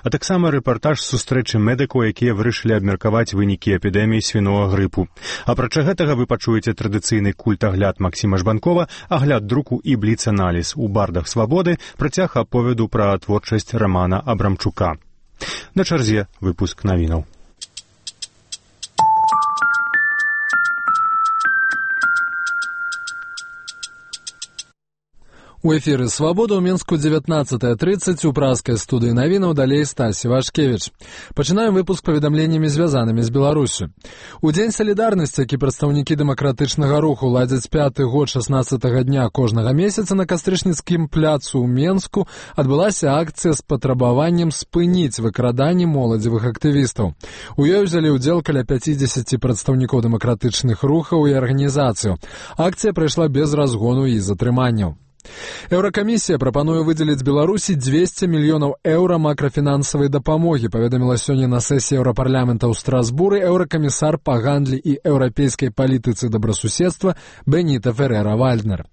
а таксама рэпартаж з сустрэчы медыкаў, якія вырашылі абмеркаваць вынікі эпідэміі свінога грыпу. Апрача гэтага вы пачуеце традыцыйны культагляд Максіма Жбанкова, агляд друку і бліц-аналіз. У бардах свабоды працяг аповеду пра творчасць Рамана Абрамчука. На чарзе выпуск навінаў. У эфіры «Свабода» ў Мінску 19:30 у праскай студыі навінаў, далей Стасі Вашкевіч. Пачынаем выпуск паведамленнямі, звязанымі з Беларусю. У Дзень салідарнасці, які прадстаўнікі дэмакратычнага руху ладзяць 5-й год 16-го дня кожнага месяца, на Кастрычніцкім пляцу ў Менску адбылася акцыя з патрабаваннем спыніць выкраданне моладзевых актывістаў. У ёй узялі ўдзел каля 50 прадстаўнікоў дэмакратычных рухаў і арганізацыяў. Акцыя прайшла без разгону і затрыманняў. Еўракамісія прапануе выдзеліць Беларусі 200 мільёнаў еўра макрафінансавай дапамогі, паведаміла сёння на сесіі Еўрапарламента ў Страсбуры еўракамісар па гандлі і еўрапейскай палітыцы добрасуседства Беніта Ферера-Вальднер.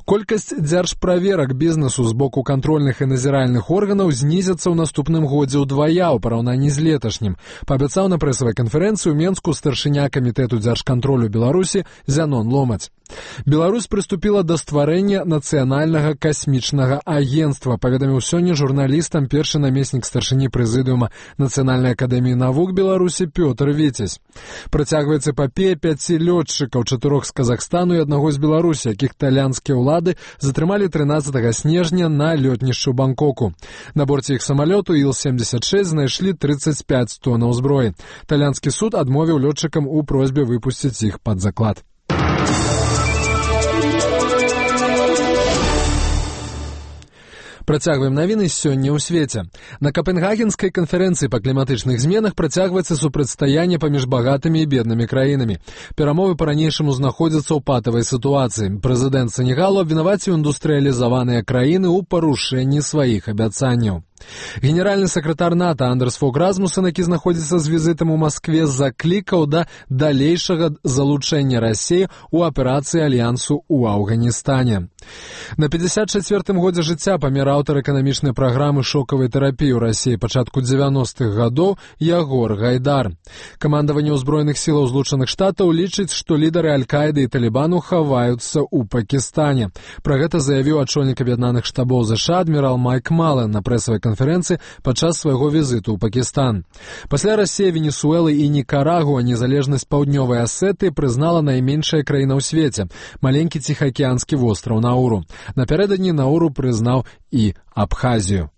Колькасць дзяржправерак бізнесу з боку кантрольных і назіральных органаў знізіцца ў наступным годзе ўдвая ў параўнанні з леташнім, паабяцаў на прэсавай канферэнцыі ў Менску старшыня камітэту дзяржкантролю Беларусі Зянон Ломаць. Беларусь прыступіла да стварэння нацыянальнага касмічнага агенцтва, паведаміў сёння журналістам першы намеснік старшыні прэзідыума Нацыянальнай акадэміі навук Беларусі Пётр Віцязь. Працягваецца эпапея 5 лётчыкаў, 4 з Казахстану і 1 з Беларусі, якіх талянскія ўлады затрымалі 13 снежня на лётнішчу Бангкоку. На борце іх самалёту Іл-76 знайшлі 35 тоннаў зброі. Талянскі суд адмовіў лётчыкам у просьбе выпусціць іх пад заклад. Працягваем навіны сёння ў свеце. На Капенгагенскай канферэнцыі па кліматычных зменах працягваецца супрацьстаянне паміж багатымі і беднымі краінамі. Перамовы па-ранейшаму знаходзяцца ў патавай сітуацыі. Прэзідэнт Сенегалу абвінаваціў індустрыялізаваныя краіны ў парушэнні сваіх абяцанняў. Генеральны сакратар НАТО Андерс Фог Расмуссен, які знаходзіцца з візітам у Маскве, заклікаў да далейшага залучэння Расіі ў аперацыі альянсу ў Афганістане. На 54-м годзе жыцця памер аўтар эканамічнай праграмы шокавай тэрапіі ў Расіі пачатку 90-х гадоў Ягор Гайдар. Камандаванне ўзброеных сілаў Злучаных Штатаў лічыць, што лідары Аль-Каіды і Талібану хаваюцца ў Пакістане. Пра гэта заявіў ачольнік аб'яднаных штабоў ЗША адмірал Майк Мален на прэсавай канферэнцыі падчас свайго візіту ў Пакістан. Пасля Расіі, Венесуэлы і Нікарагуа незалежнасць Паўднёвай Асетыі прызнала найменшая краіна ў свеце – маленькі ціхаакіянскі востраў Науру. Напярэдадні Науру прызнаў і Абхазію.